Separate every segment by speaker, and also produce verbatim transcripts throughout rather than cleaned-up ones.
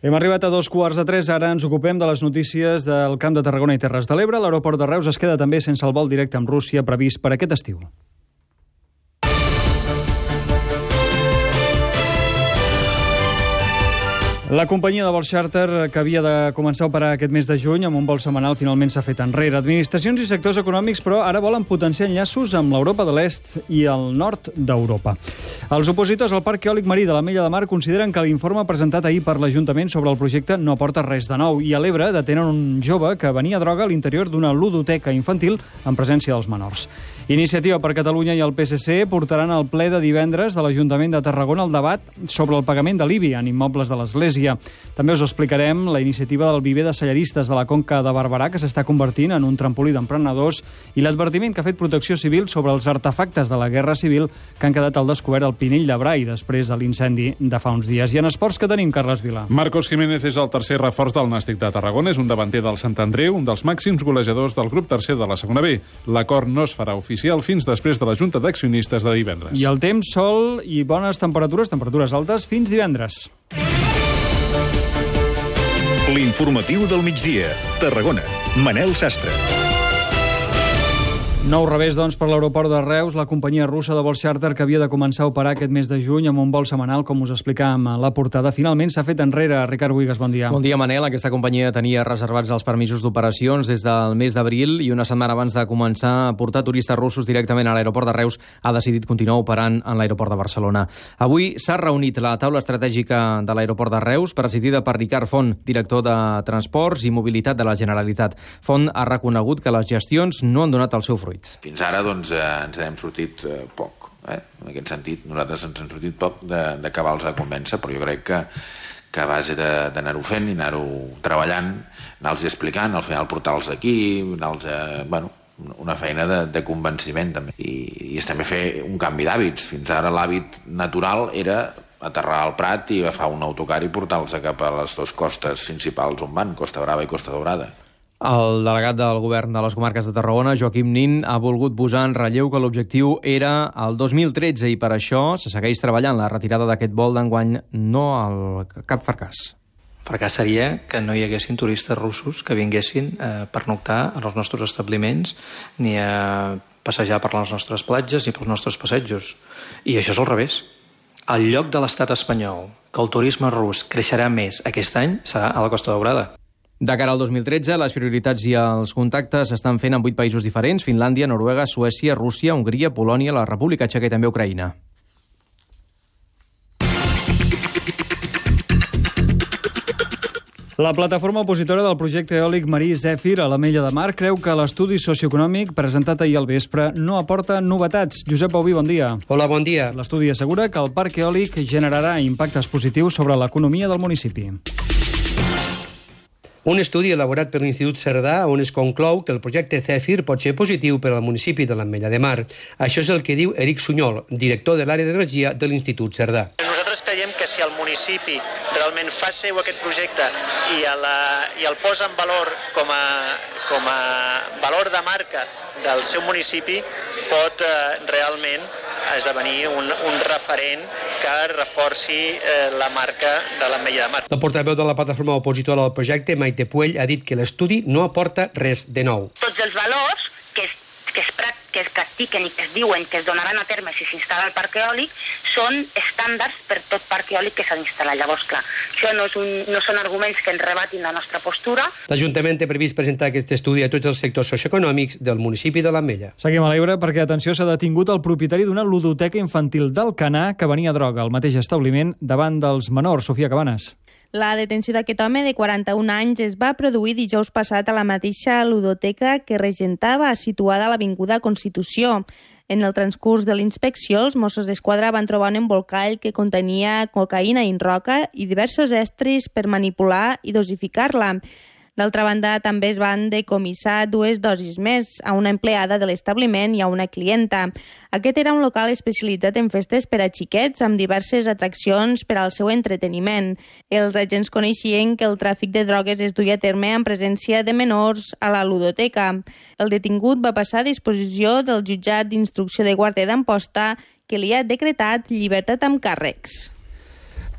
Speaker 1: Hem arribat a dos quarts de tres, ara ens ocupem de les notícies del Camp de Tarragona i Terres de l'Ebre. L'aeroport de Reus es queda també sense el vol directe amb Rússia previst per aquest estiu. La companyia de vols xàrter, que havia de començar a operar aquest mes de juny amb un vol setmanal, finalment s'ha fet enrere. Administracions i sectors econòmics, però, ara volen potenciar enllaços amb l'Europa de l'Est i el nord d'Europa. Els opositors al Parc Eòlic Marí de l'Ametlla de Mar consideren que l'informe presentat ahir per l'Ajuntament sobre el projecte no aporta res de nou. I a l'Ebre detenen un jove que venia droga a l'interior d'una ludoteca infantil en presència dels menors. Iniciativa per Catalunya i el P S C portaran al ple de divendres de l'Ajuntament de Tarragona el debat sobre el pagament de l'I B I en immobles de l'Església. També us explicarem la iniciativa del viver de cellaristes de la Conca de Barberà, que s'està convertint en un trampolí d'emprenedors, i l'advertiment que ha fet Protecció Civil sobre els artefactes de la Guerra Civil que han quedat al descobert al Pinell de Brai després de l'incendi de fa uns dies. I en esports, que tenim, Carles Vila?
Speaker 2: Marcos Jiménez és el tercer reforç del Nàstic de Tarragona, és un davanter del Sant Andreu, un dels màxims golejadors del grup tercer de la segona B. L'acord no es farà oficial fins després de la Junta d'Accionistes de divendres.
Speaker 1: I el temps, sol i bones temperatures, temperatures altes, fins divendres.
Speaker 3: L'informatiu del migdia. Tarragona. Manel Sastre.
Speaker 1: Nou revés, doncs, per l'aeroport de Reus. La companyia russa de vols xàrter, que havia de començar a operar aquest mes de juny amb un vol setmanal, com us explicàvem a la portada, finalment s'ha fet enrere. Ricard Buigas, bon dia.
Speaker 4: Bon dia, Manel. Aquesta companyia tenia reservats els permisos d'operacions des del mes d'abril i una setmana abans de començar a portar turistes russos directament a l'aeroport de Reus ha decidit continuar operant en l'aeroport de Barcelona. Avui s'ha reunit la taula estratègica de l'aeroport de Reus, presidida per Ricard Font, director de Transports i Mobilitat de la Generalitat. Font ha reconegut que les gestions no han donat el seu fruit.
Speaker 5: Fins ara doncs, eh, ens n'hem sortit eh, poc. Eh? En aquest sentit, nosaltres ens hem sortit poc d'acabar-los a convèncer, però jo crec que, que a base d'anar-ho fent i anar-ho treballant, anar-los explicant, al final portar-los aquí, anar-los a, bueno, una feina de, de convenciment també. I, i és també fer un canvi d'hàbits. Fins ara l'hàbit natural era aterrar al Prat i agafar un autocar i portar-los cap a les dues costes principals on van, Costa Brava i Costa Daurada.
Speaker 4: El delegat del govern de les comarques de Tarragona, Joaquim Nin, ha volgut posar en relleu que l'objectiu era el dos mil tretze i per això se segueix treballant la retirada d'aquest vol d'enguany, no al cap fracàs.
Speaker 6: Fracàs seria que no hi haguessin turistes russos que vinguessin eh, per noctar als nostres establiments ni a passejar per les nostres platges ni pels nostres passejos. I això és al revés. El lloc de l'estat espanyol que el turisme rus creixerà més aquest any serà a la Costa Daurada.
Speaker 4: De cara al dos mil tretze, les prioritats i els contactes s'estan fent en vuit països diferents: Finlàndia, Noruega, Suècia, Rússia, Hongria, Polònia, la República Txeca i també Ucraïna.
Speaker 1: La plataforma opositora del projecte eòlic marí Zèfir a l'Ametlla de Mar creu que l'estudi socioeconòmic presentat ahir al vespre no aporta novetats. Josep Bauví, bon dia.
Speaker 7: Hola, bon dia.
Speaker 1: L'estudi assegura que el parc eòlic generarà impactes positius sobre l'economia del municipi.
Speaker 7: Un estudi elaborat per l'Institut Cerdà on es conclou que el projecte Zèfir pot ser positiu per al municipi de l'Ametlla de Mar. Això és el que diu Eric Sunyol, director de l'àrea d'energia de l'Institut Cerdà.
Speaker 8: Nosaltres creiem que si el municipi realment fa seu aquest projecte i, a la, i el posa en valor com a, com a valor de marca del seu municipi, pot eh, realment esdevenir un, un referent que reforci eh, la marca de l'Ametlla de Mar.
Speaker 7: La portaveu de la plataforma opositora al projecte, Maite Puell, ha dit que l'estudi no aporta res de nou.
Speaker 9: Tots els valors que es, que es, que es practiquen i que es diuen que es donaran a terme si s'instal·la el parc eòlic són estàndards per tot parc eòlic que s'ha d'instal·lar. Llavors, clar, això no, és un, no són arguments que ens rebatin la nostra postura.
Speaker 7: L'Ajuntament té previst presentar aquest estudi a tots els sectors socioeconòmics del municipi de l'Ametlla.
Speaker 1: Seguim a l'Ebre perquè, atenció, s'ha detingut el propietari d'una ludoteca infantil d'Alcanar que venia droga al mateix establiment davant dels menors. Sofia Cabanes.
Speaker 10: La detenció d'aquest home de quaranta-un anys es va produir dijous passat a la mateixa ludoteca que regentava, situada a l'Avinguda Constitució. En el transcurs de l'inspecció, els Mossos d'Esquadra van trobar un embolcall que contenia cocaïna in roca i diversos estris per manipular i dosificar-la. D'altra banda, també es van decomissar dues dosis més a una empleada de l'establiment i a una clienta. Aquest era un local especialitzat en festes per a xiquets amb diverses atraccions per al seu entreteniment. Els agents coneixien que el tràfic de drogues es duia a terme en presència de menors a la ludoteca. El detingut va passar a disposició del jutjat d'instrucció de Guàrdia d'Amposta, que li ha decretat llibertat amb càrrecs.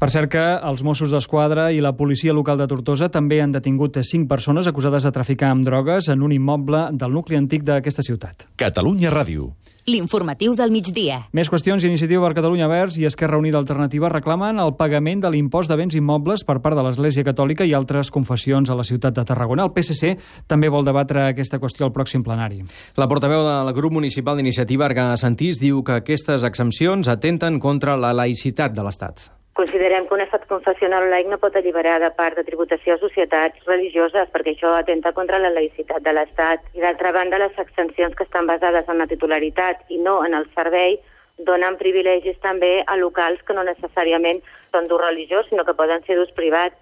Speaker 1: Per cert que els Mossos d'Esquadra i la policia local de Tortosa també han detingut cinc persones acusades de traficar amb drogues en un immoble del nucli antic d'aquesta ciutat.
Speaker 11: Catalunya Ràdio.
Speaker 12: L'informatiu del migdia.
Speaker 1: Més qüestions. Iniciativa per Catalunya Verds i Esquerra Unida Alternativa reclamen el pagament de l'impost de béns immobles per part de l'Església Catòlica i altres confessions a la ciutat de Tarragona. El P S C també vol debatre aquesta qüestió al pròxim plenari.
Speaker 4: La portaveu del grup municipal d'Iniciativa, Arga Santís, diu que aquestes exempcions atenten contra la laïcitat de l'Estat.
Speaker 13: Considerem que un estat confessional laic no pot alliberar de part de tributació a societats religioses perquè això atenta contra la laïcitat de l'Estat. I d'altra banda, les exempcions que estan basades en la titularitat i no en el servei donen privilegis també a locals que no necessàriament són d'ús religiós, sinó que poden ser d'ús privat.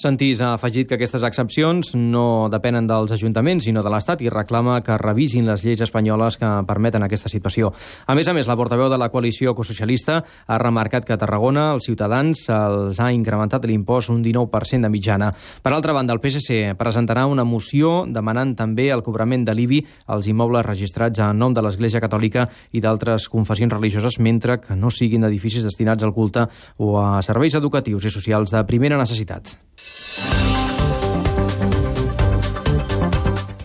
Speaker 4: Santís ha afegit que aquestes excepcions no depenen dels ajuntaments, sinó de l'Estat, i reclama que revisin les lleis espanyoles que permeten aquesta situació. A més a més, la portaveu de la coalició ecosocialista ha remarcat que a Tarragona els ciutadans els ha incrementat l'impost un dinou per cent de mitjana. Per altra banda, el P S C presentarà una moció demanant també el cobrament de l'I B I als immobles registrats en nom de l'Església Catòlica i d'altres confessions religioses, mentre que no siguin edificis destinats al culte o a serveis educatius i socials de primera necessitat.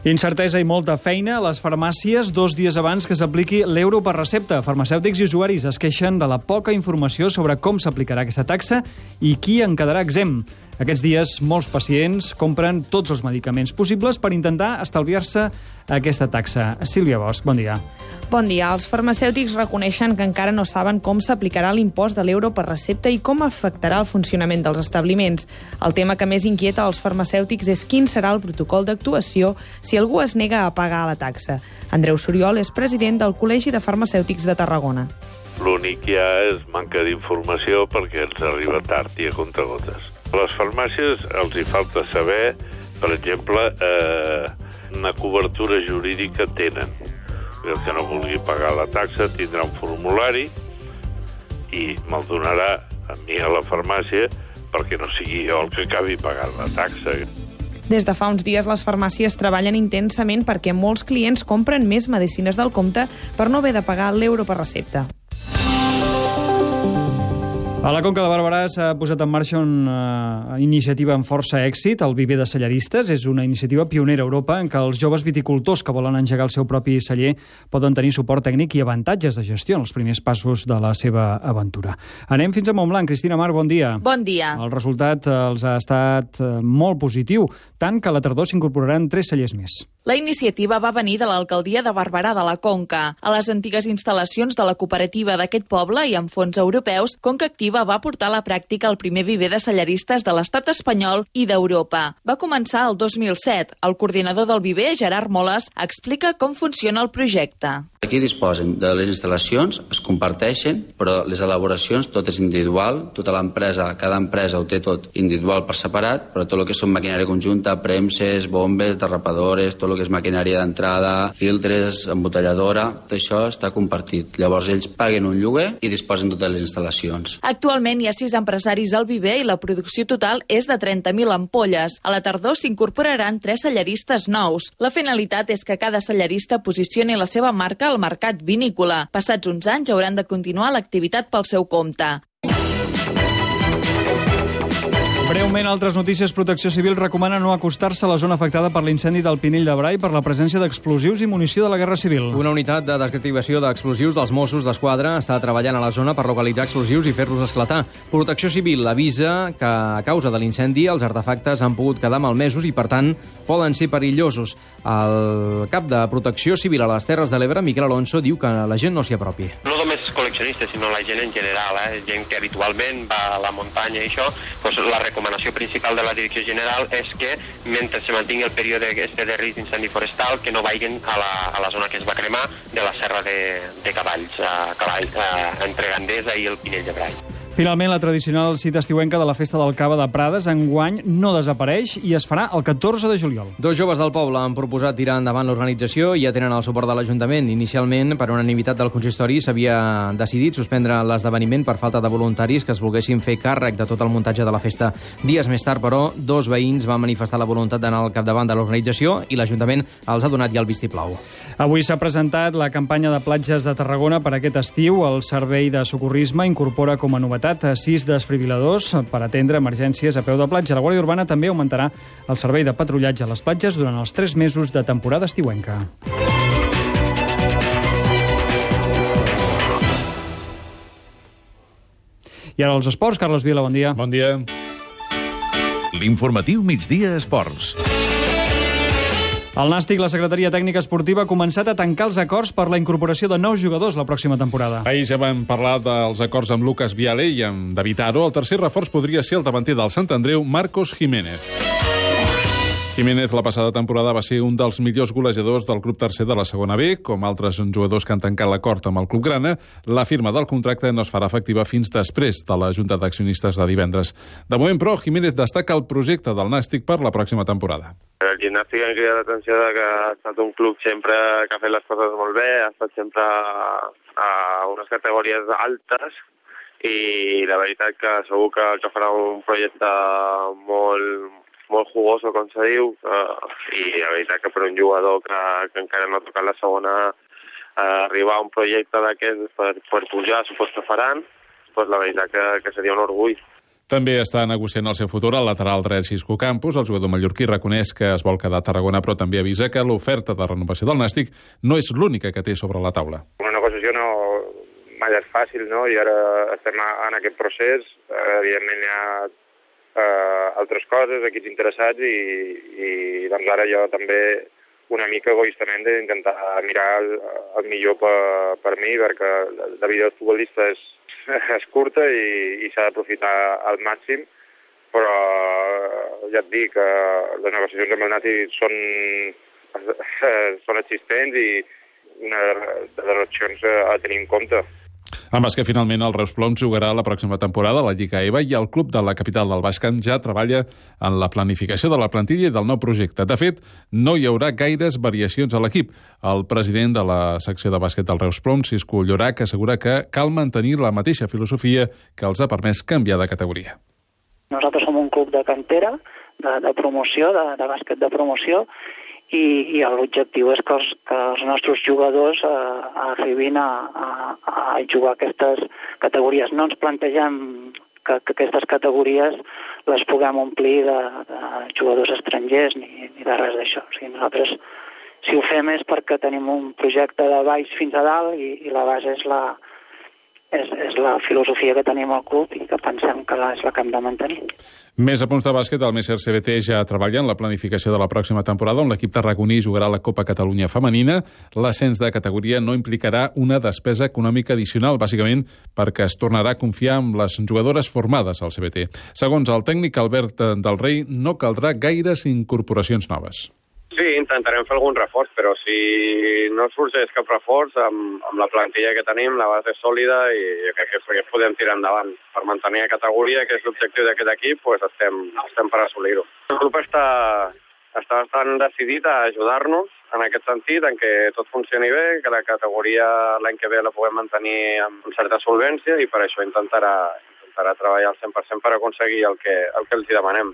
Speaker 1: Incertesa i molta feina a les farmàcies dos dies abans que s'apliqui l'euro per recepta. Farmacèutics i usuaris es queixen de la poca informació sobre com s'aplicarà aquesta taxa i qui en quedarà exempt. Aquests dies, molts pacients compren tots els medicaments possibles per intentar estalviar-se aquesta taxa. Sílvia Bosch, bon dia.
Speaker 14: Bon dia. Els farmacèutics reconeixen que encara no saben com s'aplicarà l'impost de l'euro per recepta i com afectarà el funcionament dels establiments. El tema que més inquieta els farmacèutics és quin serà el protocol d'actuació si algú es nega a pagar la taxa. Andreu Soriol és president del Col·legi de Farmacèutics de Tarragona.
Speaker 15: L'únic que hi ha és manca d'informació perquè ens arriba tard i a comptagotes. A les farmàcies els hi falta saber, per exemple, eh, una cobertura jurídica tenen. El que no vulgui pagar la taxa tindrà un formulari i me'l donarà a mi a la farmàcia perquè no sigui jo el que acabi pagant la taxa.
Speaker 14: Des de fa uns dies les farmàcies treballen intensament perquè molts clients compren més medicines del compte per no haver de pagar l'euro per recepta.
Speaker 1: A la Conca de Barberà s'ha posat en marxa una iniciativa amb força èxit, el Viver de Cellaristes. És una iniciativa pionera a Europa en què els joves viticultors que volen engegar el seu propi celler poden tenir suport tècnic i avantatges de gestió en els primers passos de la seva aventura. Anem fins a Montblanc. Cristina Mar, bon dia.
Speaker 16: Bon dia.
Speaker 1: El resultat els ha estat molt positiu, tant que a la tardor s'incorporaran tres cellers més.
Speaker 16: La iniciativa va venir de l'alcaldia de Barberà de la Conca. A les antigues instal·lacions de la cooperativa d'aquest poble i amb fons europeus, Conca Activa va portar a la pràctica el primer viver de cellaristes de l'estat espanyol i d'Europa. Va començar el dos mil set. El coordinador del viver, Gerard Moles, explica com funciona el projecte.
Speaker 17: Aquí disposen de les instal·lacions, es comparteixen, però les elaboracions tot és individual, tota l'empresa, cada empresa ho té tot individual per separat, però tot el que són maquinària conjunta, premses, bombes, derrapadores, tot el que és maquinària d'entrada, filtres, embotelladora, tot això està compartit. Llavors ells paguen un lloguer i disposen totes les instal·lacions.
Speaker 16: Actualment hi ha sis empresaris al viver i la producció total és de trenta mil ampolles. A la tardor s'incorporaran tres cellaristes nous. La finalitat és que cada cellarista posicioni la seva marca al mercat vinícola. Passats uns anys hauran de continuar l'activitat pel seu compte.
Speaker 1: Breument, altres notícies. Protecció Civil recomana no acostar-se a la zona afectada per l'incendi del Pinell de Brai per la presència d'explosius i munició de la Guerra Civil.
Speaker 4: Una unitat de desactivació d'explosius dels Mossos d'Esquadra està treballant a la zona per localitzar explosius i fer-los esclatar. Protecció Civil avisa que a causa de l'incendi els artefactes han pogut quedar malmesos i, per tant, poden ser perillosos. El cap de Protecció Civil a les Terres de l'Ebre, Miquel Alonso, diu que la gent no s'hi apropi.
Speaker 18: No només col·leccionistes, sinó la gent en general, eh? gent que habitualment va a la muntanya i això, doncs la recomanació principal de la Direcció General és que mentre se mantingui el període este de risc d'incendi forestal que no vagin a la, a la zona que es va cremar de la Serra de, de Cavalls, a Cavall, a, entre Gandesa i el Pinell de Brai.
Speaker 1: Finalment, la tradicional cita estiuenca de la Festa del Cava de Prades enguany no desapareix i es farà el catorze de juliol.
Speaker 4: Dos joves del poble han proposat tirar endavant l'organització i ja tenen el suport de l'Ajuntament. Inicialment, per unanimitat del consistori, s'havia decidit suspendre l'esdeveniment per falta de voluntaris que es volguessin fer càrrec de tot el muntatge de la festa. Dies més tard, però, dos veïns van manifestar la voluntat d'anar al capdavant de l'organització i l'Ajuntament els ha donat ja el vistiplau.
Speaker 1: Avui s'ha presentat la campanya de platges de Tarragona per aquest estiu. El Servei de Socorrisme incorpora com a novetat contractat sis desfibriladors per atendre emergències a peu de platja. La Guàrdia Urbana també augmentarà el servei de patrullatge a les platges durant els tres mesos de temporada estiuenca. I ara els esports. Carles Vila, bon dia.
Speaker 2: Bon dia.
Speaker 3: L'informatiu Migdia Esports.
Speaker 1: El Nàstic, la Secretaria Tècnica Esportiva, ha començat a tancar els acords per la incorporació de nous jugadors la pròxima temporada.
Speaker 2: Ahir ja vam parlar dels acords amb Lucas Viale i amb David Aro. El tercer reforç podria ser el davanter del Sant Andreu, Marcos Jiménez. Jiménez la passada temporada va ser un dels millors golejadors del club tercer de la segona B. Com altres jugadors que han tancat l'acord amb el club grana, la firma del contracte no es farà efectiva fins després de la Junta d'Accionistes de divendres. De moment, però, Jiménez destaca el projecte del Nàstic per la pròxima temporada.
Speaker 11: El Gimnàstic ha cridat l'atenció que ha estat un club sempre que ha fet les coses molt bé, ha estat sempre a unes categories altes i la veritat que segur que el que farà un projecte molt molt jugoso, com se diu, uh, i la veritat que per un jugador que, que encara no ha tocat la segona, uh, arribar a un projecte d'aquest per, per pujar, supos que faran, pues la veritat que, que seria un orgull.
Speaker 2: També està negociant el seu futur al lateral dret Xisco Campos. El jugador mallorquí reconeix que es vol quedar a Tarragona, però també avisa que l'oferta de renovació del Nàstic no és l'única que té sobre la taula.
Speaker 11: Una negociació no mai és fàcil, no? I ara estem en aquest procés. Evidentment hi ha Uh, altres coses, equips interessats i, i doncs ara jo també una mica egoistament d'intentar mirar el, el millor per, per mi, perquè la vida del futbolista és, és curta i, i s'ha d'aprofitar al màxim, però ja et dic que les negociacions amb el Nàstic són, són existents i una de les opcions a tenir en compte.
Speaker 2: En bàsquet, finalment, el Reus Ploms jugarà la pròxima temporada a la Lliga E V A i el club de la capital del Baix Camp ja treballa en la planificació de la plantilla i del nou projecte. De fet, no hi haurà gaires variacions a l'equip. El president de la secció de bàsquet del Reus Ploms, Xisco Llorac, assegura que cal mantenir la mateixa filosofia que els ha permès canviar de categoria.
Speaker 19: Nosaltres som un club de cantera, de, de promoció, de, de bàsquet de promoció, i, i l'objectiu és que els, que els nostres jugadors eh, arribin a, a, a jugar aquestes categories. No ens plantegem que, que aquestes categories les puguem omplir de, de jugadors estrangers ni, ni de res d'això. O sigui, nosaltres, si ho fem és perquè tenim un projecte de baix fins a dalt i, i la base és la, és, és la filosofia que tenim al club i que pensem que és la que hem de mantenir.
Speaker 2: Més a punts de bàsquet, el Messer C B T ja treballa en la planificació de la pròxima temporada, on l'equip tarragoní jugarà la Copa Catalunya Femenina. L'ascens de categoria no implicarà una despesa econòmica addicional, bàsicament perquè es tornarà a confiar en les jugadores formades al C B T. Segons el tècnic Albert del Rei, no caldrà gaires incorporacions noves.
Speaker 11: Sí, intentarem fer algun reforç, però si no sorgeix cap reforç, amb, amb la plantilla que tenim, la base és sòlida i crec que, que podem tirar endavant. Per mantenir la categoria, que és l'objectiu d'aquest equip, pues estem, estem per assolir-ho. El club està, està bastant decidit a ajudar-nos en aquest sentit, en què tot funcioni bé, que la categoria l'any que ve la puguem mantenir amb certa solvència i per això intentarà, intentarà treballar al cent per cent per aconseguir el que, el que els hi demanem.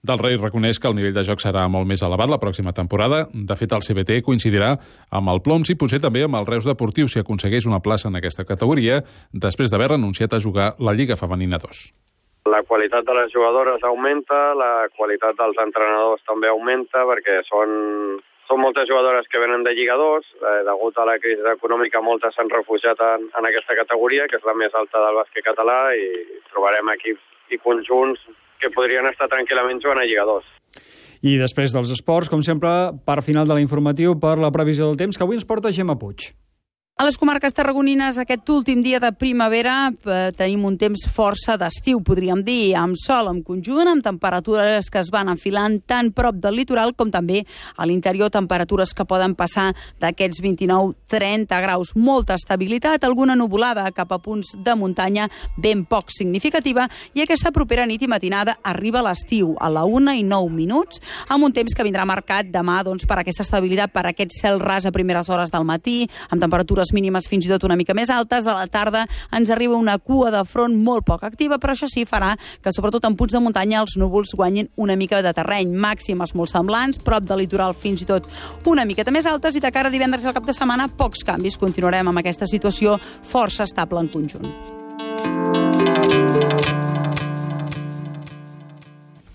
Speaker 2: Del Rei reconeix que el nivell de joc serà molt més elevat la pròxima temporada. De fet, el C B T coincidirà amb el Ploms i potser també amb el Reus Deportiu si aconsegueix una plaça en aquesta categoria després d'haver renunciat a jugar la Lliga Femenina dos.
Speaker 11: La qualitat de les jugadores augmenta, la qualitat dels entrenadors també augmenta, perquè són, són moltes jugadores que venen de Lliga dos. Eh, degut a la crisi econòmica, moltes s'han refugiat en, en aquesta categoria, que és la més alta del bàsquet català, i trobarem equips i conjunts que podrien estar tranquil·lament jugant a Lliga dos.
Speaker 1: I després dels esports, com sempre, part final de l'informatiu per la previsió del temps, que avui ens porta Gemma Puig.
Speaker 20: A les comarques tarragonines, aquest últim dia de primavera, eh, tenim un temps força d'estiu, podríem dir, amb sol en conjunt, amb temperatures que es van enfilant tan prop del litoral com també a l'interior, temperatures que poden passar d'aquests vint-i-nou a trenta graus. Molta estabilitat, alguna nuvolada cap a punts de muntanya ben poc significativa, i aquesta propera nit i matinada arriba l'estiu a la una i nou minuts, amb un temps que vindrà marcat demà doncs, per aquesta estabilitat, per aquest cel ras a primeres hores del matí, amb temperatures mínimes fins i tot una mica més altes. A la tarda ens arriba una cua de front molt poc activa, però això sí farà que, sobretot en punts de muntanya, els núvols guanyin una mica de terreny. Màximes molt semblants, prop del litoral fins i tot una miqueta més altes, i de cara a divendres al cap de setmana, pocs canvis. Continuarem amb aquesta situació força estable en conjunt.